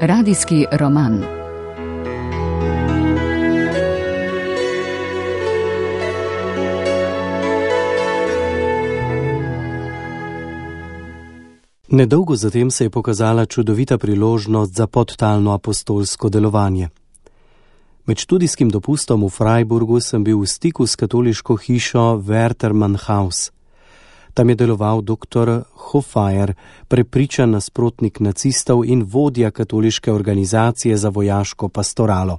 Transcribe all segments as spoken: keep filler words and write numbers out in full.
Radijski roman. Nedolgo zatem se je pokazala čudovita priložnost za podtalno apostolsko delovanje. Med študijskim dopustom v Freiburgu sem bil v stiku s katoliško hišo Wärtermann-Haus. Tam je deloval doktor Hoffaer, prepričan nasprotnik nacistov in vodja katoliške organizacije za vojaško pastoralo.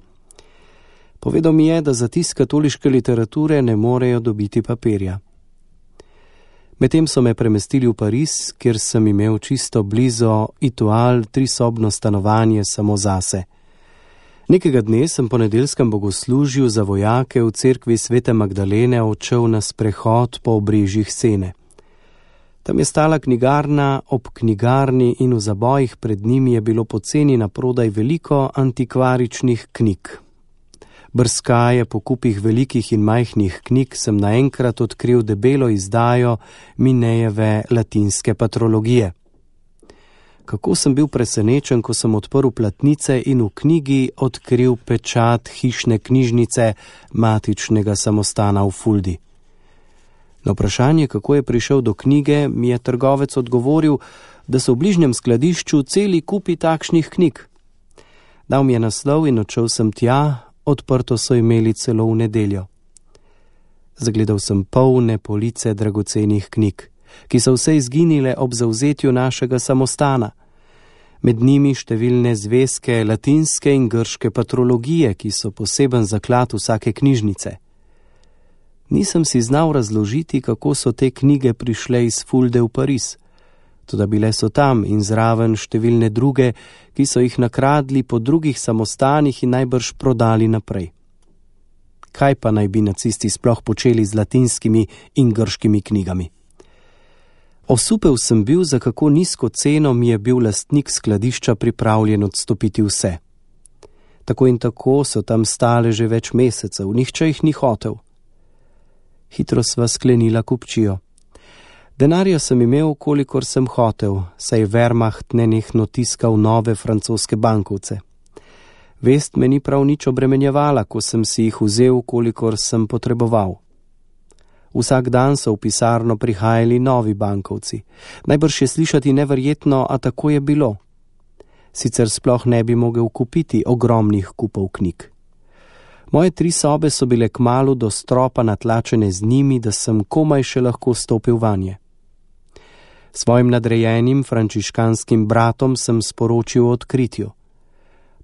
Povedal mi je, da za tisk katoliške literature ne morejo dobiti papirja. Medtem so me premestili v Pariz, kjer sem imel čisto blizu Etoile trisobno stanovanje samo zase. Nekega dne sem po nedeljskem bogoslužju za vojake v cerkvi Svete Magdalene odšel na sprehod po obrežjih Sene. Tam je stala knjigarna ob knjigarni in v zabojih pred njimi je bilo poceni naprodaj veliko antikvaričnih knjig. Brskaje po kupih velikih in majhnih knjig sem naenkrat odkril debelo izdajo Minejeve latinske patrologije. Kako sem bil presenečen, ko sem odprl platnice in v knjigi odkril pečat hišne knjižnice matičnega samostana v Fuldi. Na vprašanje, kako je prišel do knjige, mi je trgovec odgovoril, da so v bližnjem skladišču celi kupi takšnih knjig. Dal mi je naslov in odšel sem tja, odprto so imeli celo v nedeljo. Zagledal sem polne police dragocenih knjig, ki so vse izginile ob zavzetju našega samostana. Med njimi številne zvezke latinske in grške patrologije, ki so poseben zaklad vsake knjižnice. Nisem si znal razložiti, kako so te knjige prišle iz Fulde v Pariz. Toda bile so tam in zraven številne druge, ki so jih nakradli po drugih samostanih in najbrž prodali naprej. Kaj pa naj bi nacisti sploh počeli z latinskimi in grškimi knjigami? Osupel sem bil, za kako nizko ceno mi je bil lastnik skladišča pripravljen odstopiti vse. Tako in tako so tam stale že več mesecev, nihče jih ni hotel. Hitro sva sklenila kupčijo. Denarja sem imel, kolikor sem hotel, saj Wehrmacht nenehno tiskal nove francoske bankovce. Vest me ni prav nič obremenjevala, ko sem si jih vzel, kolikor sem potreboval. Vsak dan so v pisarno prihajali novi bankovci. Najbrž je slišati neverjetno, a tako je bilo. Sicer sploh ne bi mogel kupiti ogromnih kupov knjig. Moje tri sobe so bile kmalu do stropa natlačene z njimi, da sem komaj še lahko stopil vanje. Svojim nadrejenim frančiškanskim bratom sem sporočil o odkritju.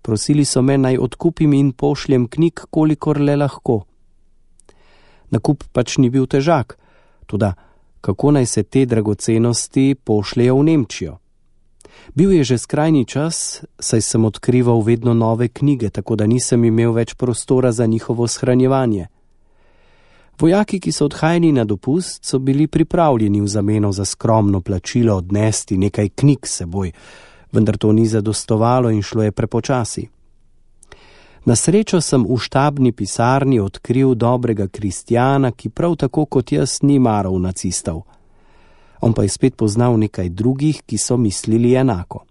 Prosili so me, naj odkupim in pošljem knjig, kolikor le lahko. Nakup pač ni bil težak, toda kako naj se te dragocenosti pošljejo v Nemčijo? Bil je že skrajni čas, saj sem odkrival vedno nove knjige, tako da nisem imel več prostora za njihovo shranjevanje. Vojaki, ki so odhajali na dopust, so bili pripravljeni v zameno za skromno plačilo odnesti nekaj knjig s seboj, vendar to ni zadostovalo in šlo je prepočasi. Na srečo sem v štabni pisarni odkril dobrega kristjana, ki prav tako kot jaz ni maral nacistov. On pa je spet poznal nekaj drugih, ki so mislili enako.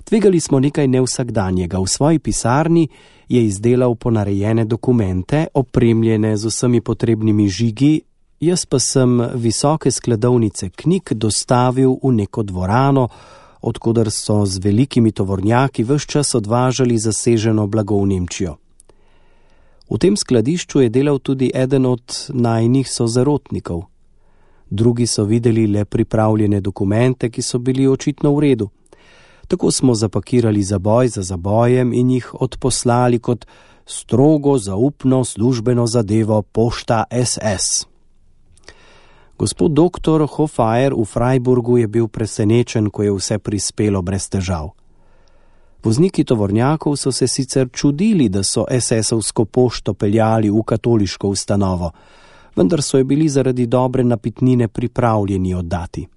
Tvegali smo nekaj nevsakdanjega. V svoji pisarni je izdelal ponarejene dokumente, opremljene z vsemi potrebnimi žigi, jaz pa sem visoke skladovnice knjig dostavil v neko dvorano, odkoder so z velikimi tovornjaki ves čas odvažali zaseženo blago v Nemčijo. V tem skladišču je delal tudi eden od najinih sozarotnikov. Drugi so videli le pripravljene dokumente, ki so bili očitno v redu. Tako smo zapakirali zaboj za zabojem in jih odposlali kot strogo zaupno službeno zadevo pošta es es. Gospod doktor Hoffaer v Freiburgu je bil presenečen, ko je vse prispelo brez težav. Vozniki tovornjakov so se sicer čudili, da so es esovsko pošto peljali v katoliško ustanovo, vendar so je bili zaradi dobre napitnine pripravljeni oddati.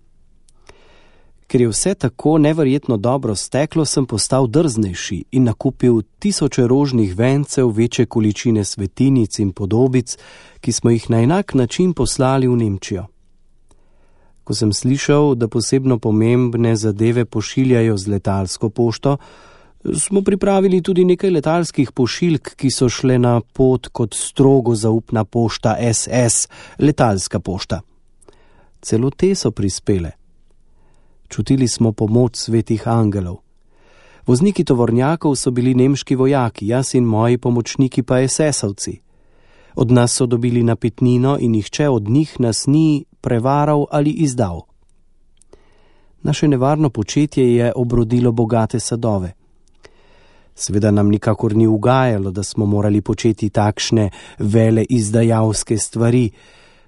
Ker je vse tako neverjetno dobro steklo, sem postal drznejši in nakupil tisoče rožnih vencev, večje količine svetinic in podobic, ki smo jih na enak način poslali v Nemčijo. Ko sem slišal, da posebno pomembne zadeve pošiljajo z letalsko pošto, Smo pripravili tudi nekaj letalskih pošiljk, ki so šle na pot kot strogo zaupna pošta es es, letalska pošta. Celo te so prispele. Čutili smo pomoč svetih angelov. Vozniki tovornjakov so bili nemški vojaki, jaz in moji pomočniki pa es esovci. Od nas so dobili napitnino in nihče od njih nas ni prevaral ali izdal. Naše nevarno početje je obrodilo bogate sadove. Seveda nam nikakor ni ugajalo, da smo morali početi takšne vele izdajalske stvari.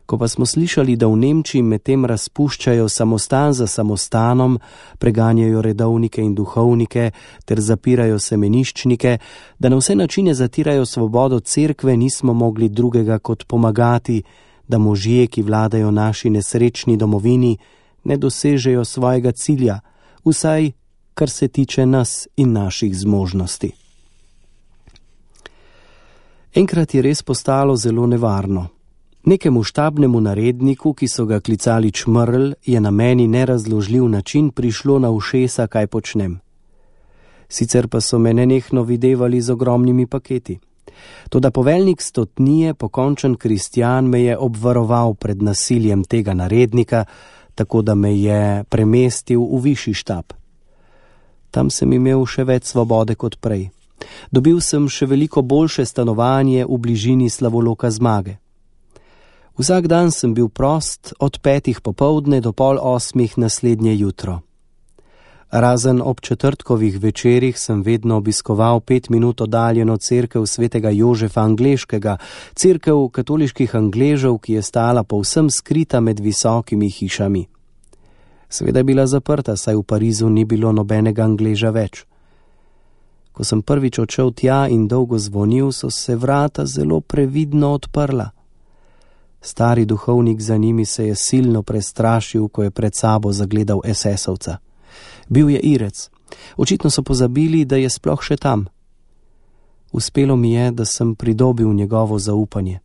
Ko pa smo slišali, da v Nemčiji medtem razpuščajo samostan za samostanom, preganjajo redovnike in duhovnike ter zapirajo semeniščnike, da na vse načine zatirajo svobodo cerkve, nismo mogli drugega kot pomagati, da možje, ki vladajo naši nesrečni domovini, ne dosežejo svojega cilja, vsaj kar se tiče nas in naših zmožnosti. Enkrat je res postalo zelo nevarno. Nekemu štabnemu naredniku, ki so ga klicali Čmrl, je na meni nerazložljiv način prišlo na ušesa, kaj počnem. Sicer pa so me nenehno videvali z ogromnimi paketi. Toda poveljnik stotnije, pokončen kristjan, me je obvaroval pred nasiljem tega narednika, tako da me je premestil v višji štab. Tam sem imel še več svobode kot prej. Dobil sem še veliko boljše stanovanje v bližini Slavoloka Zmage. Vsak dan sem bil prost od petih popoldne do pol osmih naslednje jutro. Razen ob četrtkovih večerih sem vedno obiskoval pet minut oddaljeno cerkev svetega Jožefa Angleškega, cerkev katoliških Angležev, ki je stala povsem skrita med visokimi hišami. Seveda je bila zaprta, saj v Parizu ni bilo nobenega Angleža več. Ko sem prvič odšel tja in dolgo zvonil, so se vrata zelo previdno odprla. Stari duhovnik za njimi se je silno prestrašil, ko je pred sabo zagledal es esovca. Bil je Irec. Očitno so pozabili, da je sploh še tam. Uspelo mi je, da sem pridobil njegovo zaupanje.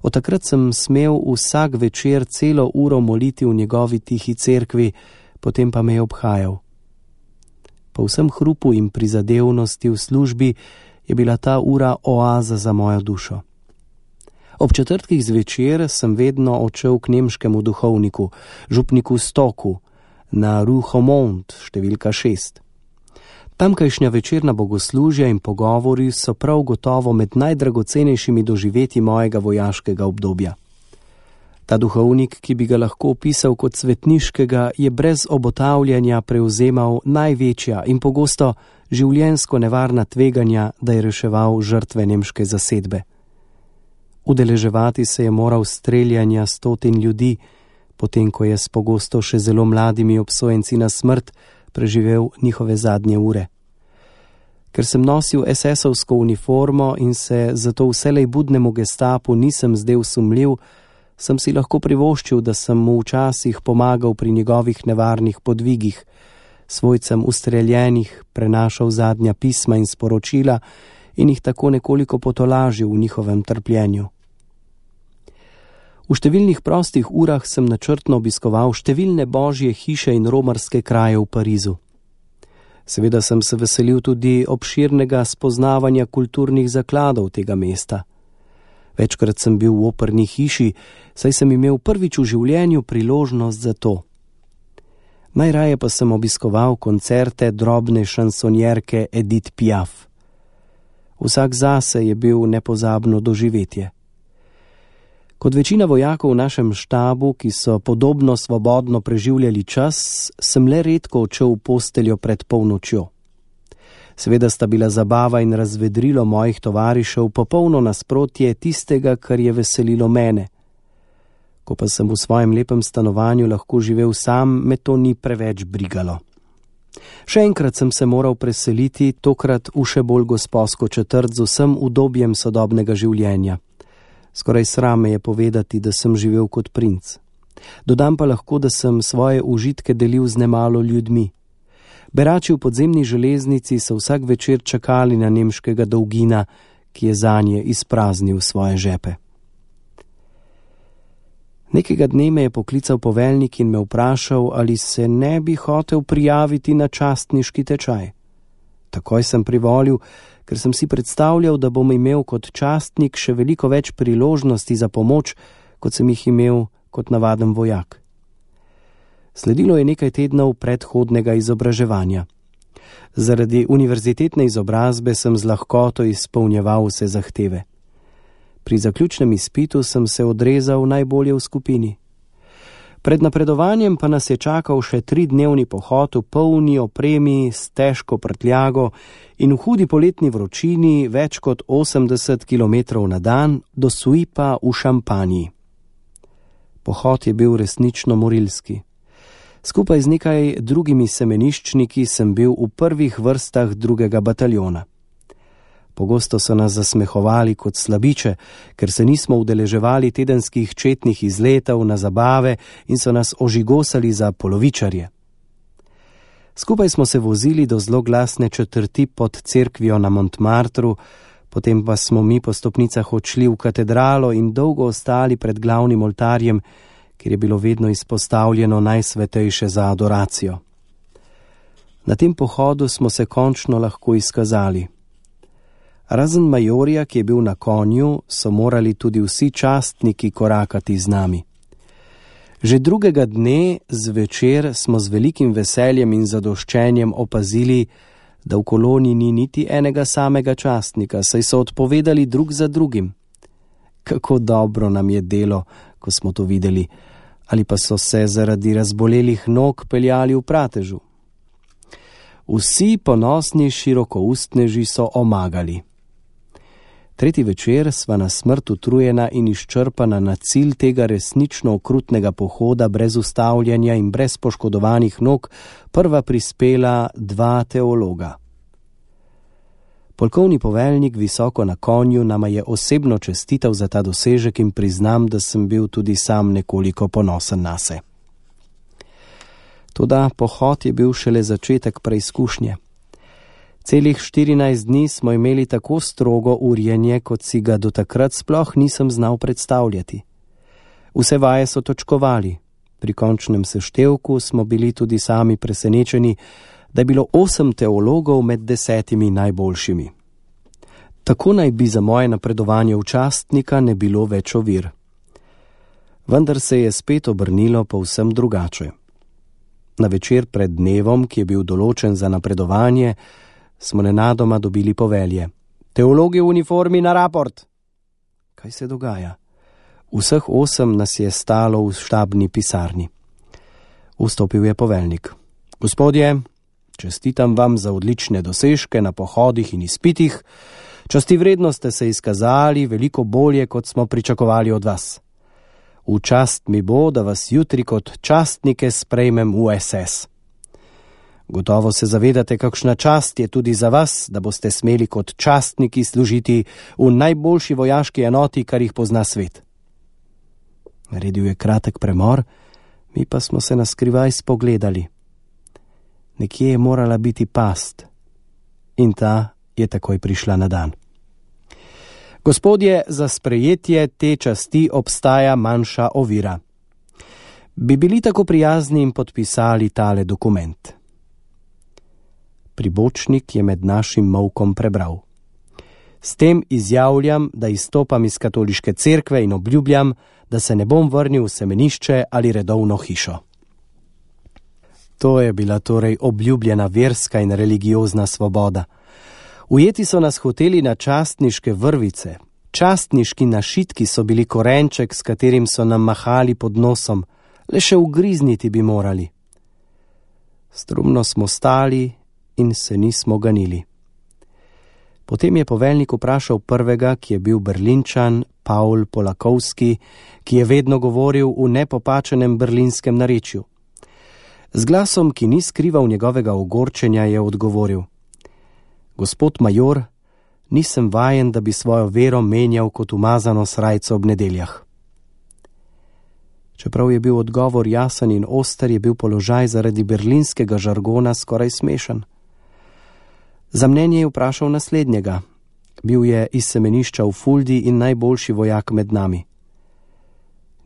Od takrat sem smel vsak večer celo uro moliti v njegovi tihi cerkvi, potem pa me je obhajal. Po vsem hrupu in prizadevnosti v službi je bila ta ura oaza za mojo dušo. Ob četrtkih zvečer sem vedno odšel k nemškemu duhovniku, župniku Stoku, na Rue Haumont, številka šest. Tamkajšnja večerna bogoslužja in pogovori so prav gotovo med najdragocenejšimi doživetji mojega vojaškega obdobja. Ta duhovnik, ki bi ga lahko opisal kot svetniškega, je brez obotavljanja prevzemal največja in pogosto življenjsko nevarna tveganja, da je reševal žrtve nemške zasedbe. Udeleževati se je moral streljanja stotin ljudi, potem ko je s pogosto še zelo mladimi obsojenci na smrt preživel njihove zadnje ure. Ker sem nosil es esovsko uniformo in se zato vselej budnemu gestapu nisem zdel sumljiv, sem si lahko privoščil, da sem mu včasih pomagal pri njegovih nevarnih podvigih, svojcem ustreljenih prenašal zadnja pisma in sporočila in jih tako nekoliko potolažil v njihovem trpljenju. V številnih prostih urah sem načrtno obiskoval številne božje hiše in romarske kraje v Parizu. Seveda sem se veselil tudi obširnega spoznavanja kulturnih zakladov tega mesta. Večkrat sem bil v operni hiši, saj sem imel prvič v življenju priložnost za to. Najraje pa sem obiskoval koncerte drobne šansonjerke Edith Piaf. Vsak zase je bil nepozabno doživetje. Kot večina vojakov v našem štabu, ki so podobno svobodno preživljali čas, sem le redko odšel v posteljo pred polnočjo. Seveda sta bila zabava in razvedrilo mojih tovarišev popolno nasprotje tistega, kar je veselilo mene. Ko pa sem v svojem lepem stanovanju lahko živel sam, me to ni preveč brigalo. Še enkrat sem se moral preseliti, tokrat v še bolj gosposko četrt z vsem udobjem sodobnega življenja. Skoraj sram me je povedati, da sem živel kot princ. Dodam pa lahko, da sem svoje užitke delil z nemalo ljudmi. Berači v podzemni železnici so vsak večer čakali na nemškega dolgina, ki je zanje izpraznil svoje žepe. Nekega dne me je poklical poveljnik in me vprašal, ali se ne bi hotel prijaviti na častniški tečaj. Takoj sem privolil, ker sem si predstavljal, da bom imel kot častnik še veliko več priložnosti za pomoč, kot sem jih imel kot navaden vojak. Sledilo je nekaj tednov predhodnega izobraževanja. Zaradi univerzitetne izobrazbe sem z lahkoto izpolnjeval vse zahteve. Pri zaključnem izpitu sem se odrezal najbolje v skupini. Pred napredovanjem pa nas je čakal še tridnevni pohod v polni opremi s težko prtljago in v hudi poletni vročini več kot osemdeset kilometrov na dan do Suipa v Šampaniji. Pohod je bil resnično morilski. Skupaj z nekaj drugimi semeniščniki sem bil v prvih vrstah drugega bataljona. Pogosto so nas zasmehovali kot slabiče, ker se nismo udeleževali tedenskih četnih izletov na zabave in so nas ožigosali za polovičarje. Skupaj smo se vozili do zloglasne četrti pod cerkvijo na Montmartru, potem pa smo mi po stopnicah odšli v katedralo in dolgo ostali pred glavnim oltarjem, kjer je bilo vedno izpostavljeno najsvetejše za adoracijo. Na tem pohodu smo se končno lahko izkazali. Razen majorja, ki je bil na konju, so morali tudi vsi častniki korakati z nami. Že drugega dne zvečer smo z velikim veseljem in zadoščenjem opazili, da v koloni ni niti enega samega častnika, saj so odpovedali drug za drugim. Kako dobro nam je delo, ko smo to videli, ali pa so se zaradi razbolelih nog peljali v pratežu. Vsi ponosni širokoustneži so omagali. Tretji večer sva na smrt utrujena in izčrpana na cilj tega resnično okrutnega pohoda brez ustavljanja in brez poškodovanih nog prva prispela dva teologa. Polkovni poveljnik visoko na konju nama je osebno čestital za ta dosežek in priznam, da sem bil tudi sam nekoliko ponosen nase. Toda pohod je bil šele začetek preizkušnje. Celih štirinajst dni smo imeli tako strogo urjenje, kot si ga do takrat sploh nisem znal predstavljati. Vse vaje so točkovali. Pri končnem seštevku smo bili tudi sami presenečeni, da je bilo osem teologov med desetimi najboljšimi. Tako naj bi za moje napredovanje v častnika ne bilo več ovir. Vendar se je spet obrnilo povsem drugače. Na večer pred dnevom, ki je bil določen za napredovanje, smo nenadoma dobili povelje. Teologi v uniformi na raport! Kaj se dogaja? Vseh osem nas je stalo v štabni pisarni. Vstopil je poveljnik. Gospodje, čestitam vam za odlične dosežke na pohodih in izpitih. Častivredno ste se izkazali veliko bolje, kot smo pričakovali od vas. V čast mi bo, da vas jutri kot častnike sprejmem v es es. Gotovo se zavedate, kakšna čast je tudi za vas, da boste smeli kot častniki služiti v najboljši vojaški enoti, kar jih pozna svet. Naredil je kratek premor, mi pa smo se naskrivaj spogledali. Nekje je morala biti past in ta je takoj prišla na dan. Gospodje, za sprejetje te časti obstaja manjša ovira. Bi bili tako prijazni in podpisali tale dokument? Pribočnik je med našim molkom prebral. S tem izjavljam, da izstopam iz katoliške cerkve in obljubljam, da se ne bom vrnil v semenišče ali redovno hišo. To je bila torej obljubljena verska in religiozna svoboda. Ujeti so nas hoteli na častniške vrvice. Častniški našitki so bili korenček, s katerim so nam mahali pod nosom. Le še ugrizniti bi morali. Strumno smo stali in se nismo ganili. Potem je poveljnik vprašal prvega, ki je bil Berlinčan, Paul Polakovski, ki je vedno govoril v nepopačenem berlinskem narečju. Z glasom, ki ni skrival njegovega ogorčenja, je odgovoril: Gospod major, nisem vajen, da bi svojo vero menjal kot umazano srajco ob nedeljah. Čeprav je bil odgovor jasen in oster, je bil položaj zaradi berlinskega žargona skoraj smešen. Za mnenje je vprašal naslednjega. Bil je iz semenišča v Fuldi in najboljši vojak med nami.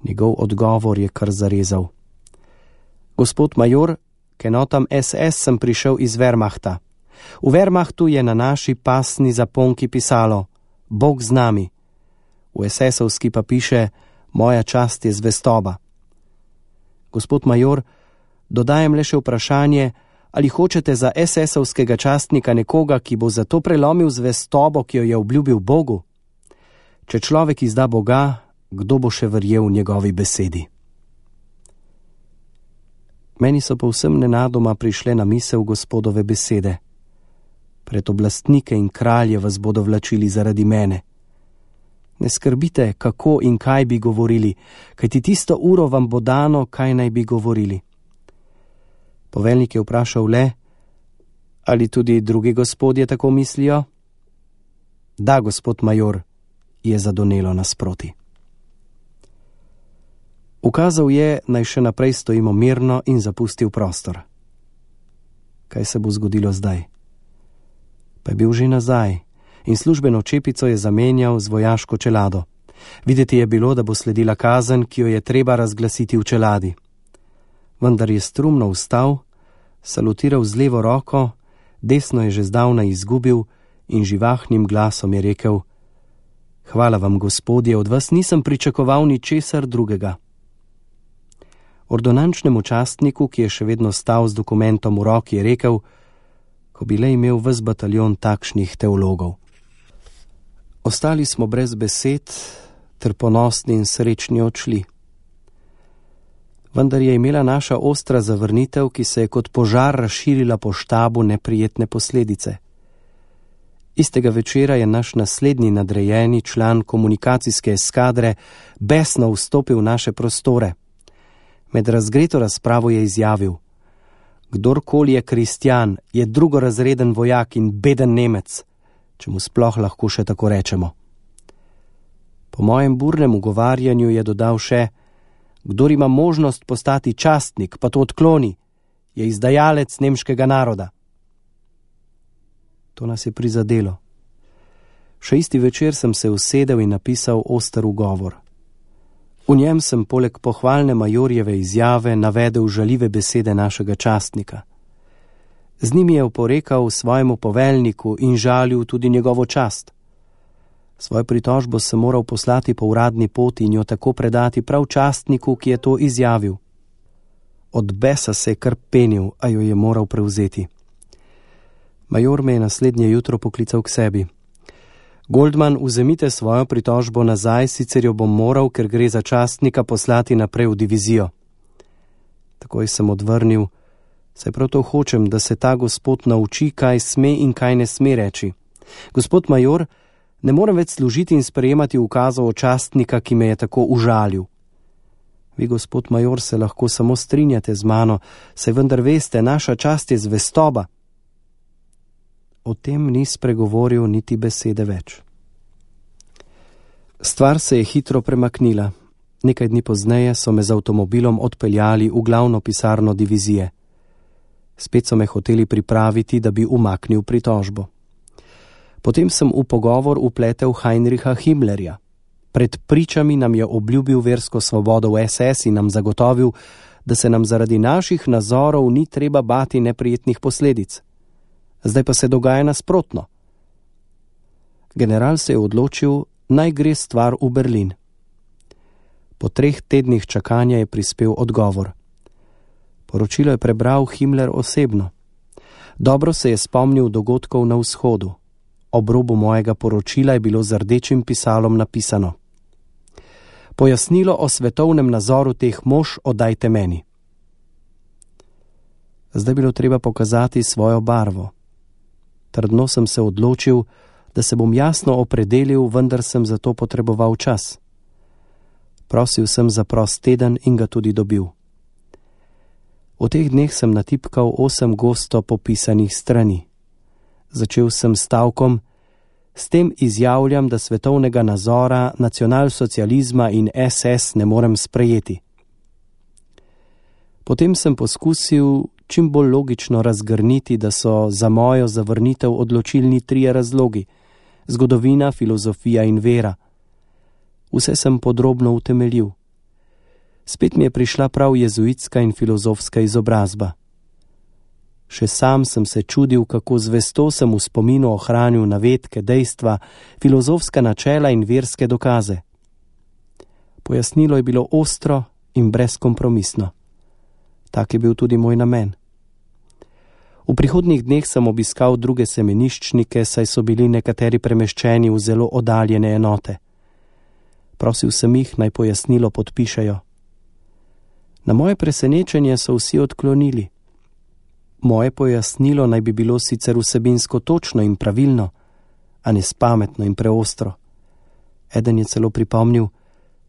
Njegov odgovor je kar zarezal. Gospod major, k enotam es es sem prišel iz Wehrmachta. V Wehrmachtu je na naši pasni zaponki pisalo Bog z nami. V es esovski pa piše Moja čast je zvestoba. Gospod major, dodajem le še vprašanje, ali hočete za es esovskega častnika nekoga, ki bo zato prelomil zvestobo, ki jo je obljubil Bogu? Če človek izda Boga, kdo bo še verjel njegovi besedi? Meni so povsem nenadoma prišle na misel Gospodove besede. Pred oblastnike in kralje vas bodo vlačili zaradi mene. Ne skrbite, kako in kaj bi govorili, kajti tisto uro vam bo dano, kaj naj bi govorili. Poveljnik je vprašal le, ali tudi drugi gospodje tako mislijo? Da, gospod major, je zadonelo nasproti. Ukazal je, naj še naprej stojimo mirno in zapustil prostor. Kaj se bo zgodilo zdaj? Pa je bil že nazaj in službeno čepico je zamenjal z vojaško čelado. Videti je bilo, da bo sledila kazen, ki jo je treba razglasiti v čeladi. Vendar je strumno vstal, salutiral z levo roko, desno je že zdavnaj izgubil in živahnim glasom je rekel: Hvala vam, gospodje, od vas nisem pričakoval ničesar drugega. Ordonančnemu častniku, ki je še vedno stal z dokumentom v roki, je rekel: Ko bi le imel ves bataljon takšnih teologov. Ostali smo brez besed, ter ponosni in srečni odšli. Vendar je imela naša ostra zavrnitev, ki se je kot požar razširila po štabu, neprijetne posledice. Istega večera je naš naslednji nadrejeni član komunikacijske eskadre besno vstopil v naše prostore. Med razgreto razpravo je izjavil: Kdorkoli je kristjan, je drugorazreden vojak in beden Nemec, če mu sploh lahko še tako rečemo. Po mojem burnem ugovarjanju je dodal še: Kdor ima možnost postati častnik, pa to odkloni, je izdajalec nemškega naroda. To nas je prizadelo. Še isti večer sem se usedel in napisal oster ugovor. V njem sem poleg pohvalne majorjeve izjave navedel žaljive besede našega častnika. Z njimi je oporekal svojemu poveljniku in žalil tudi njegovo čast. Svojo pritožbo sem moral poslati po uradni poti in jo tako predati prav častniku, ki je to izjavil. Od besa se je kar penil, a jo je moral prevzeti. Major me je naslednje jutro poklical k sebi. Goldman, vzemite svojo pritožbo nazaj, sicer jo bom moral, ker gre za častnika, poslati naprej v divizijo. Takoj sem odvrnil: saj prav to hočem, da se ta gospod nauči, kaj sme in kaj ne sme reči. Gospod major, ne morem več služiti in sprejemati ukazov od častnika, ki me je tako užalil. Vi, gospod major, se lahko samo strinjate z mano, saj vendar veste, naša čast je zvestoba. O tem ni spregovoril niti besede več. Stvar se je hitro premaknila. Nekaj dni pozneje so me z avtomobilom odpeljali v glavno pisarno divizije. Spet so me hoteli pripraviti, da bi umaknil pritožbo. Potem sem v pogovor upletel Heinricha Himmlerja. Pred pričami nam je obljubil versko svobodo v es es in nam zagotovil, da se nam zaradi naših nazorov ni treba bati neprijetnih posledic. Zdaj pa se dogaja nasprotno. General se je odločil, naj gre stvar v Berlin. Po treh tednih čakanja je prispel odgovor. Poročilo je prebral Himmler osebno. Dobro se je spomnil dogodkov na vzhodu. Ob robu mojega poročila je bilo z rdečim pisalom napisano: Pojasnilo o svetovnem nazoru teh mož oddajte meni. Zdaj bilo treba pokazati svojo barvo. Trdno sem se odločil, da se bom jasno opredelil, vendar sem za to potreboval čas. Prosil sem za prost teden in ga tudi dobil. V teh dneh sem natipkal osem gosto popisanih strani. Začel sem stavkom: S tem izjavljam, da svetovnega nazora, nacionalsocializma in es es ne morem sprejeti. Potem sem poskusil čim bolj logično razgrniti, da so za mojo zavrnitev odločilni trije razlogi: zgodovina, filozofija in vera. Vse sem podrobno utemeljil. Spet mi je prišla prav jezuitska in filozofska izobrazba. Še sam sem se čudil, kako zvesto sem v spominu ohranil navedke, dejstva, filozofska načela in verske dokaze. Pojasnilo je bilo ostro in brezkompromisno. Tak je bil tudi moj namen. V prihodnjih dneh sem obiskal druge semeniščnike, saj so bili nekateri premeščeni v zelo oddaljene enote. Prosil sem jih, naj pojasnilo podpišejo. Na moje presenečenje so vsi odklonili. Moje pojasnilo naj bi bilo sicer vsebinsko točno in pravilno, a ne spametno in preostro. Eden je celo pripomnil: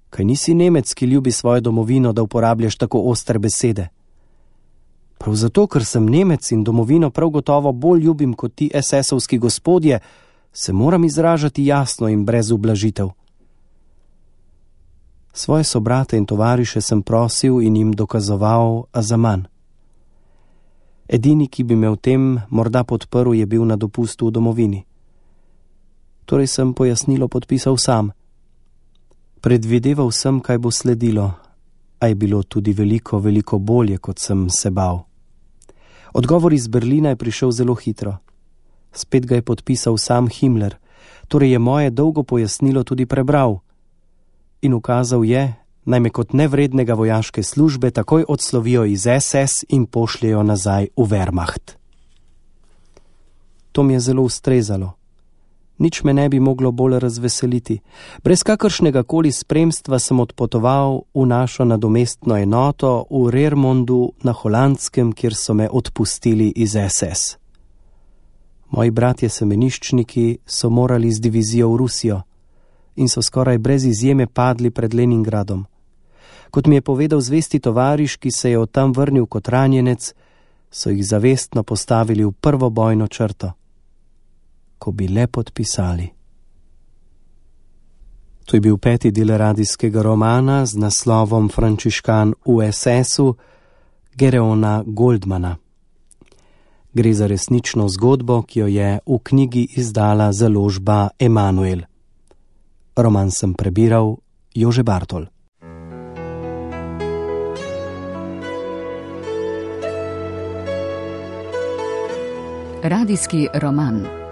kaj nisi Nemec, ki ljubi svojo domovino, da uporabljaš tako ostre besede? Prav zato, ker sem Nemec in domovino prav gotovo bolj ljubim kot ti es esovski gospodje, se moram izražati jasno in brez ublažitev. Svoje sobrate in tovariše sem prosil in jim dokazoval, a zaman. Edini, ki bi me v tem morda podprl, je bil na dopustu v domovini. Torej sem pojasnilo podpisal sam. Predvideval sem, kaj bo sledilo, a je bilo tudi veliko, veliko bolje, kot sem se bal. Odgovor iz Berlina je prišel zelo hitro. Spet ga je podpisal sam Himmler, torej je moje dolgo pojasnilo tudi prebral. In ukazal je, naj me kot nevrednega vojaške službe takoj odslovijo iz es es in pošljejo nazaj v Wehrmacht. To mi je zelo ustrezalo. Nič me ne bi moglo bolj razveseliti. Brez kakršnega koli spremstva sem odpotoval v našo nadomestno enoto v Rermondu na Holandskem, kjer so me odpustili iz es es. Moji bratje semeniščniki so morali z divizijo v Rusijo in so skoraj brez izjeme padli pred Leningradom. Kot mi je povedal zvesti tovariš, ki se je od tam vrnil kot ranjenec, so jih zavestno postavili v prvo bojno črto. Ko bi le podpisali. To je bil peti del radijskega romana z naslovom Frančiškan v es esu Gereona Goldmana. Gre za resnično zgodbo, ki jo je v knjigi izdala založba Emanuel. Roman sem prebiral Jože Bartol. Radijski roman.